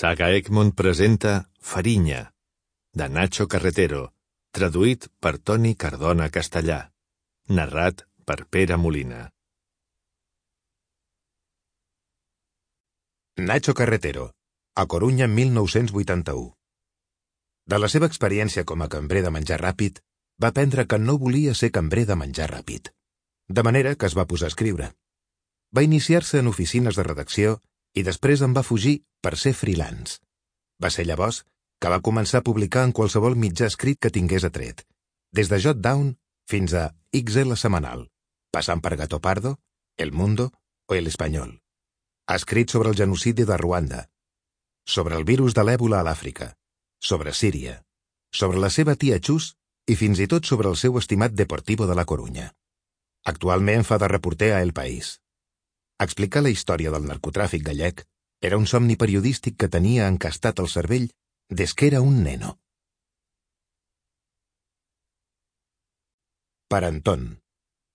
Saga Egmont presenta Farinya, de Nacho Carretero, traduït per Toni Cardona Castellà, narrat per Pere Molina. Nacho Carretero, a Corunya 1981. De la seva experiència com a cambrer de menjar ràpid, va aprendre que no volia ser cambrer de menjar ràpid. De manera que es va posar a escriure. Va iniciar-se en oficines de redacció i després en va fugir per ser freelance. Va ser llavors que va començar a publicar en qualsevol mitjà escrit que tingués atret, des de Jotdown fins a XL Semanal, passant per Gato Pardo, El Mundo o El Espanyol. Ha escrit sobre el genocidi de Ruanda, sobre el virus de l'èbola a l'Àfrica, sobre Síria, sobre la seva tia Chus i fins i tot sobre el seu estimat Deportivo de la Corunya. Actualment fa de reporter a El País. Explicar la història del narcotràfic gallec era un somni periodístic que tenia encastat al cervell des que era un neno. Para Antón,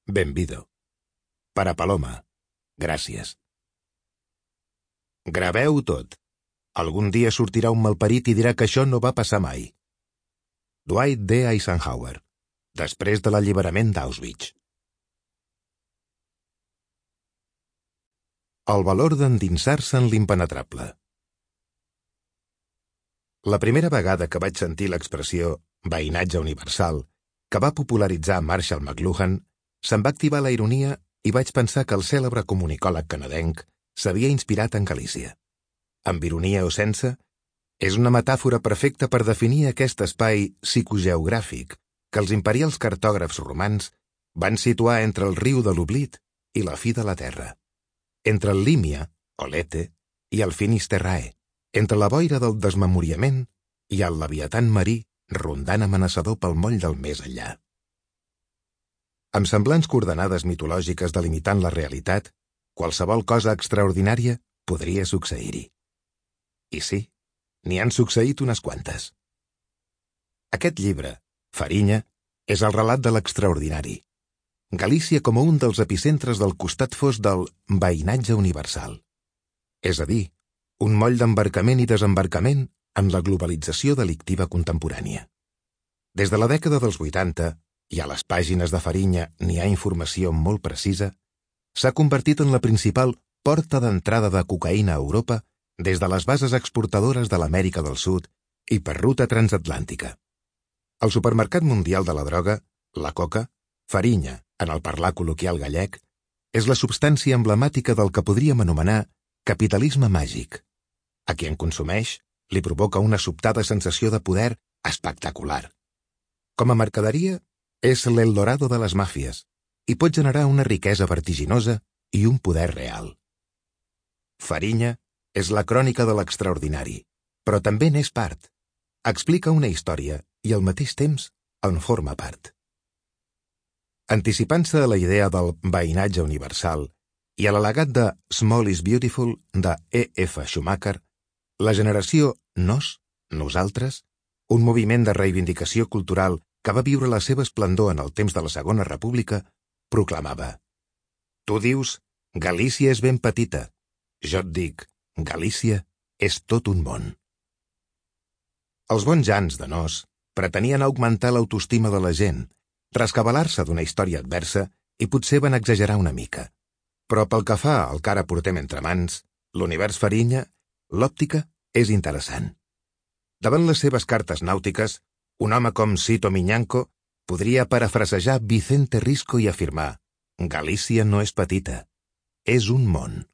benvido. Para Paloma, gràcies. Graveu tot. Algun dia sortirà un malparit i dirà que això no va passar mai. Dwight D. Eisenhower, després de l'alliberament d'Auschwitz. El valor d'endinsar-se en l'impenetrable. La primera vegada que vaig sentir l'expressió veïnatge universal, que va popularitzar Marshall McLuhan, se'm va activar la ironia i vaig pensar que el cèlebre comunicòleg canadenc s'havia inspirat en Galícia. Amb ironia o sense, és una metàfora perfecta per definir aquest espai psicogeogràfic que els imperials cartògrafs romans van situar entre el riu de l'Oblit i la fi de la terra. Entre el Límia, o Lete, i el Finisterrae, entre la boira del desmemoriament i el leviatan marí rondant amenaçador pel moll del més enllà. Amb semblants coordenades mitològiques delimitant la realitat, qualsevol cosa extraordinària podria succeir-hi. I sí, n'hi han succeït unes quantes. Aquest llibre, Farinya, és el relat de l'extraordinari. Galícia com a un dels epicentres del costat fosc del veïnatge universal. És a dir, un moll d'embarcament i desembarcament en la globalització delictiva contemporània. Des de la dècada dels 80, i a les pàgines de Farinya n'hi ha informació molt precisa, s'ha convertit en la principal porta d'entrada de cocaïna a Europa des de les bases exportadores de l'Amèrica del Sud i per ruta transatlàntica. Al supermercat mundial de la droga, la coca, Farinya, en el parlar col·loquial gallec, és la substància emblemàtica del que podríem anomenar capitalisme màgic. A qui en consumeix li provoca una sobtada sensació de poder espectacular. Com a mercaderia, és l'Eldorado de les màfies i pot generar una riquesa vertiginosa i un poder real. Farinya és la crònica de l'extraordinari, però també n'és part. Explica una història i al mateix temps en forma part. Anticipant-se a la idea del veïnatge universal i a l'al·legat de Small is Beautiful de E.F. Schumacher, la generació Nosaltres, un moviment de reivindicació cultural que va viure la seva esplendor en el temps de la Segona República, proclamava: Tu dius, Galícia és ben petita. Jo et dic, Galícia és tot un món. Els bons jans de Nos pretenien augmentar l'autoestima de la gent, rescabalar-se d'una història adversa i potser van exagerar una mica. Però pel que fa al que ara portem entre mans, l'univers Farinya, l'òptica és interessant. Davant les seves cartes nàutiques, un home com Cito Miñanco podria parafrasejar Vicente Risco i afirmar: Galícia no és petita, és un món.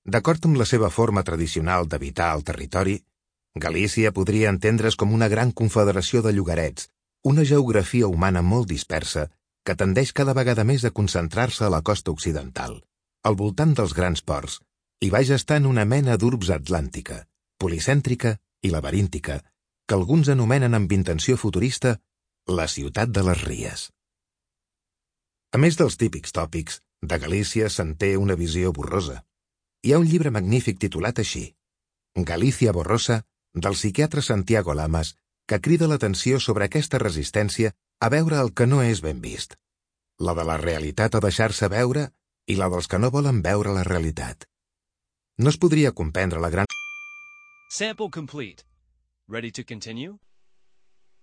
D'acord amb la seva forma tradicional d'habitar el territori, Galícia podria entendre's com una gran confederació de llogarets, una geografia humana molt dispersa que tendeix cada vegada més a concentrar-se a la costa occidental, al voltant dels grans ports, i va gestant una mena d'urbs atlàntica, policèntrica i laberíntica, que alguns anomenen amb intenció futurista la ciutat de les Ries. A més dels típics tòpics, de Galícia se'n té una visió borrosa. Hi ha un llibre magnífic titulat així, Galícia borrosa, del psiquiatre Santiago Lamas, que crida l'atenció sobre aquesta resistència a veure el que no és ben vist. La de la realitat a deixar-se veure i la dels que no volen veure la realitat. No es podria comprendre la gran Sample complete. Ready to continue?